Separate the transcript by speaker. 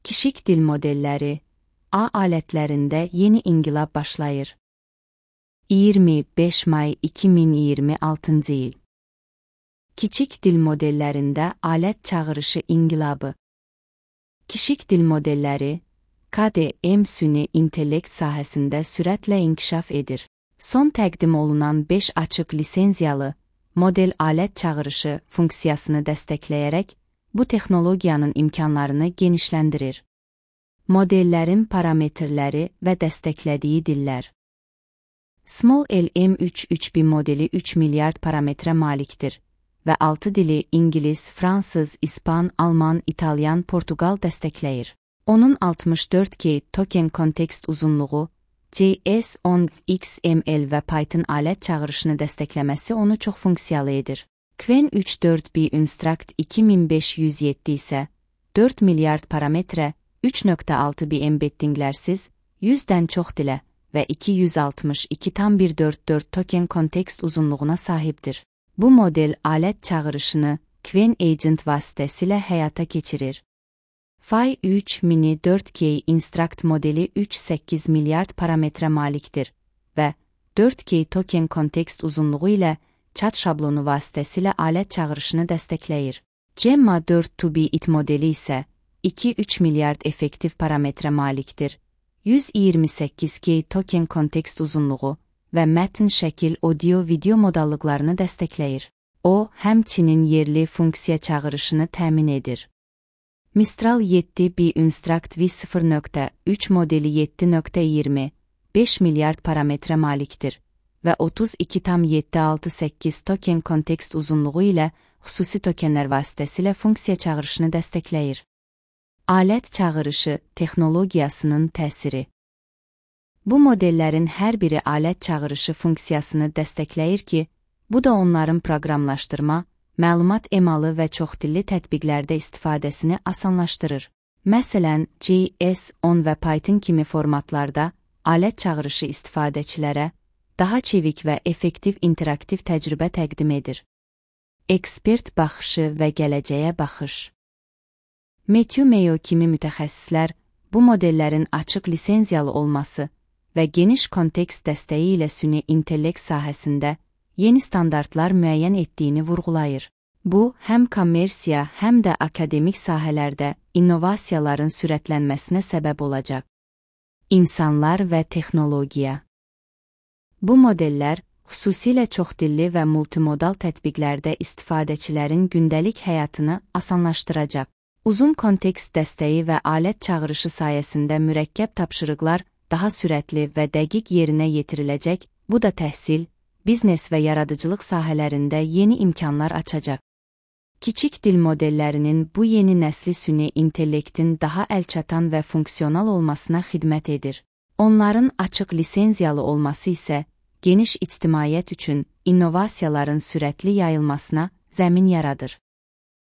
Speaker 1: Kiçik dil modelləri, A alətlərində yeni inqilab başlayır. 25 may 2026 il. Kiçik dil modellərində alət çağırışı inqilabı. Kiçik dil modelləri, KDM süni intellekt sahəsində sürətlə inkişaf edir. Son təqdim olunan 5 açıq lisenziyalı model alət çağırışı funksiyasını dəstəkləyərək bu texnologiyanın imkanlarını genişləndirir. Modellərin parametrləri və dəstəklədiyi dillər. Small LM33B modeli 3 milyard parametrə malikdir və 6 dili İngilis, Fransız, İspan, Alman, İtalyan, Portugal dəstəkləyir. Onun 64K token kontekst uzunluğu, JS10, XML və Python alət çağırışını dəstəkləməsi onu çox funksiyalı edir. Qwen 34B Instruct 2507 isə 4 milyard parametrə, 3.6B embeddinglərsiz, 100-dən çox dilə və 262,144 token kontekst uzunluğuna sahibdir. Bu model alət çağırışını Qwen Agent vasitəsilə həyata keçirir. Phi 3 Mini 4K Instruct modeli 3,8 milyard parametrə malikdir və 4K token kontekst uzunluğu ilə chat şablonu vasitəsilə alət çağırışını dəstəkləyir. Gemma 4-2B IT modeli isə 2-3 milyard effektiv parametrə malikdir, 128K token kontekst uzunluğu və mətn şəkil audio-video modallıqlarını dəstəkləyir. O, həmçinin yerli funksiya çağırışını təmin edir. Mistral 7B Instruct V0.3 modeli 7.20, 5 milyard parametrə malikdir və 32,768 token kontekst uzunluğu ilə xüsusi tokenlər vasitəsilə funksiya çağırışını dəstəkləyir. Alət çağırışı texnologiyasının təsiri. Bu modellərin hər biri alət çağırışı funksiyasını dəstəkləyir ki, bu da onların proqramlaşdırma, məlumat emalı və çoxdilli tətbiqlərdə istifadəsini asanlaşdırır. Məsələn, JS10 və Python kimi formatlarda alət çağırışı istifadəçilərə daha çevik və effektiv interaktiv təcrübə təqdim edir. Ekspert baxışı və gələcəyə baxış. Matthew Mayo kimi mütəxəssislər bu modellərin açıq lisenziyalı olması və geniş kontekst dəstəyi ilə süni intellekt sahəsində yeni standartlar müəyyən etdiyini vurğulayır. Bu, həm kommersiya, həm də akademik sahələrdə innovasiyaların sürətlənməsinə səbəb olacaq. İnsanlar və texnologiya. Bu modellər, xüsusilə çoxdilli və multimodal tətbiqlərdə istifadəçilərin gündəlik həyatını asanlaşdıracaq. Uzun kontekst dəstəyi və alət çağırışı sayəsində mürəkkəb tapşırıqlar daha sürətli və dəqiq yerinə yetiriləcək, bu da təhsil, biznes və yaradıcılıq sahələrində yeni imkanlar açacaq. Kiçik dil modellərinin bu yeni nəsli süni intellektin daha əlçatan və funksional olmasına xidmət edir. Onların açıq lisenziyalı olması isə geniş ictimaiyyət üçün innovasiyaların sürətli yayılmasına zəmin yaradır.